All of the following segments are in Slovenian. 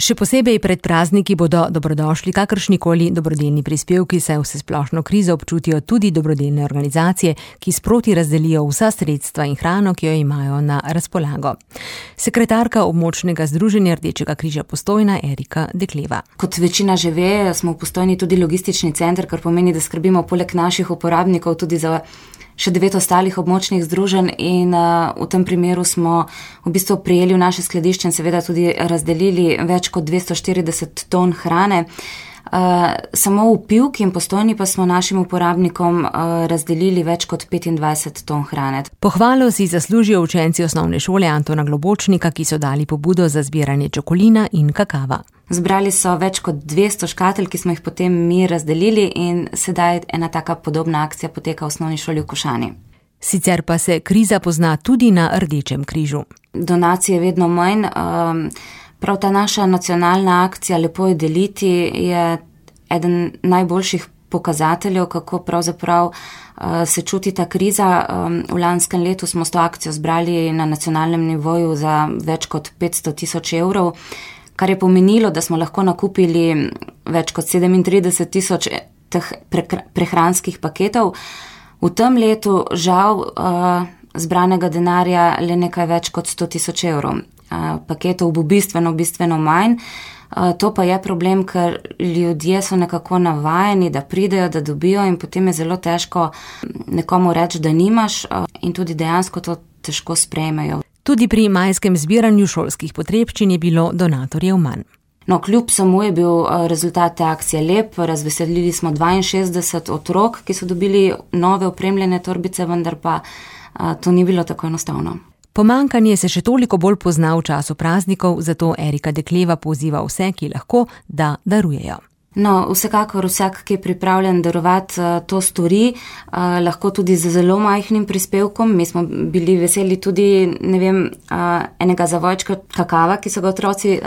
Še posebej pred prazniki bodo dobrodošli kakršnikoli dobrodelni prispevki, saj vsesplošno krizo občutijo tudi dobrodelne organizacije, ki sproti razdelijo vsa sredstva in hrano, ki jo imajo na razpolago. Sekretarka območnega združenja Rdečega križa Postojna Erika Dekleva. Kot večina že ve, smo v Postojni tudi logistični center, kar pomeni, da skrbimo poleg naših uporabnikov tudi za še 9 ostalih območnih združenj in v tem primeru smo v bistvu prijeli v naše skladišče in seveda tudi razdelili več kot 240 ton hrane. Samo v Pivki in Postojni pa smo našim uporabnikom razdelili več kot 25 ton hrane. Pohvalo si zaslužijo učenci osnovne šole Antona Globočnika, ki so dali pobudo za zbiranje čokolina in kakava. Zbrali so več kot 200 škatel, ki smo jih potem mi razdelili in sedaj ena taka podobna akcija poteka v osnovni šoli v Košani. Sicer pa se kriza pozna tudi na Rdečem križu. Donacije je vedno manj. Prav ta naša nacionalna akcija Lepo je deliti je eden najboljših pokazateljev, kako pravzaprav se čuti ta kriza. V lanskem letu smo s to akcijo zbrali na nacionalnem nivoju za več kot 500 tisoč evrov, kar je pomenilo, da smo lahko nakupili več kot 37 tisoč teh prehranskih paketov. V tem letu žal zbranega denarja le nekaj več kot 100 tisoč evrov. Paketov bo bistveno manj. To pa je problem, ker ljudje so nekako navajeni, da pridejo, da dobijo in potem je zelo težko nekomu reči, da nimaš in tudi dejansko to težko sprejmejo. Tudi pri majskem zbiranju šolskih potrebščin je bilo donatorjev manj. No, kljub samo je bil rezultat te akcije lep. Razveselili smo 62 otrok, ki so dobili nove opremljene torbice, vendar pa to ni bilo tako enostavno. Pomanjkanje se še toliko bolj pozna v času praznikov, zato Erika Dekleva poziva vse, ki lahko, da darujejo. No, vsekakor vsak, ki je pripravljen darovati, to stori, lahko tudi z zelo majhnim prispevkom. Mi smo bili veseli tudi, enega zavojčka kakava, ki so ga otroci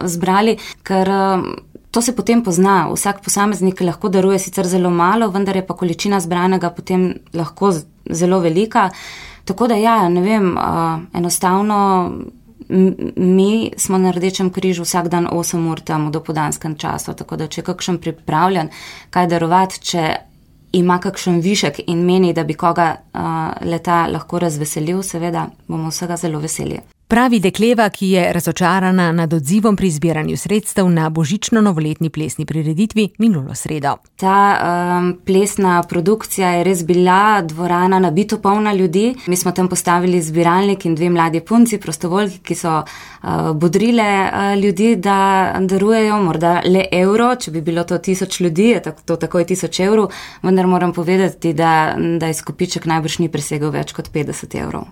zbrali, ker to se potem pozna. Vsak posameznik lahko daruje sicer zelo malo, vendar je pa količina zbranega potem lahko zelo velika. Tako da enostavno mi smo na Rdečem križu vsak dan 8 ur tam v dopoldanskem času, tako da če je kakšen pripravljen kaj darovati, če ima kakšen višek in meni, da bi koga leta lahko razveselil, seveda bomo vsega zelo veseli. Pravi Dekleva, ki je razočarana nad odzivom pri zbiranju sredstev na božično-novoletni plesni prireditvi minulo sredo. Ta plesna produkcija je res bila, dvorana nabito polna ljudi. Mi smo tam postavili zbiralnik in 2 mladi punci, prostovoljki, ki so bodrile ljudi, da darujejo morda le evro. Če bi bilo to 1000 ljudi, je to takoj 1000 evrov, vendar moram povedati, da izkupiček najbrž ni presegel več kot 50 evrov.